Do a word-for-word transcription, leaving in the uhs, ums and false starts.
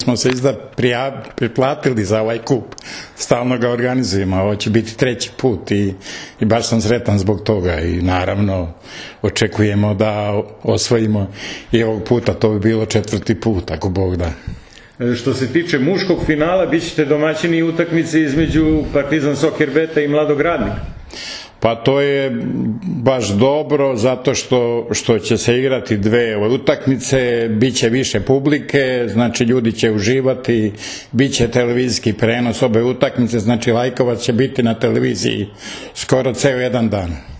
Smo se izda priplatili za ovaj kup, stalno ga organizujemo, ovo će biti treći put i, i baš sam sretan zbog toga i naravno očekujemo da osvojimo i ovog puta, to bi bilo četvrti put, ako Bog da. Što se tiče muškog finala, bit ćete domaćini utakmice između Partizan Soccer Beta i Mladog Radnika. Pa to je baš dobro zato što, što će se igrati dve utakmice, bit će više publike, znači ljudi će uživati, bit će televizijski prenos obe utakmice, znači Lajkovac će biti na televiziji skoro ceo jedan dan.